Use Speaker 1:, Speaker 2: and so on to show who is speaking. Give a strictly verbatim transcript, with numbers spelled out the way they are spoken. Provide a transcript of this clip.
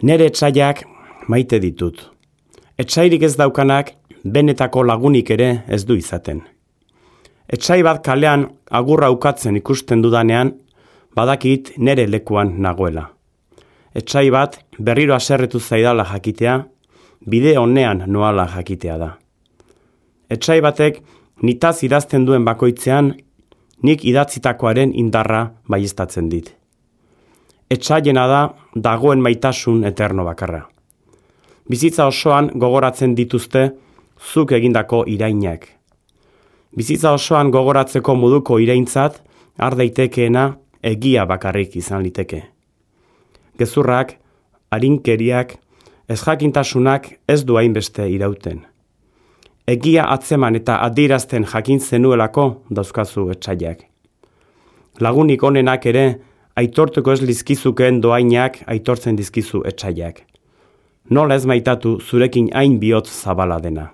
Speaker 1: Nere etsaiak maite ditut. Etsairik ez daukanak benetako lagunik ere ez du izaten. Etsai bat kalean agurra ukatzen ikusten dudanean, badakit nere lekuan nagoela. Etsai bat berriro haserretu zaidala jakitea, bide honean noala jakitea da. Etsai batek nitaz idazten duen bakoitzean, nik idatzitakoaren indarra baieztatzen dit. Etsaiena da dagoen maitasun eterno bakarra. Bizitza osoan gogoratzen dituzte zuk egindako irainak. Bizitza osoan gogoratzeko moduko iraintzat har daitekeena egia bakarrik izan liteke. Gezurrak, arinkeriak, ezjakintasunak ez du hainbeste irauten. Egia atzeman eta adierazten jakin zenuelako dauzkazu etsaiak. Lagunik onenak ere aitortuko ez lizkizukeen doainak aitortzen dizkizu etsaiak. Nola ez maitatu zurekin hain bihotz zabala dena.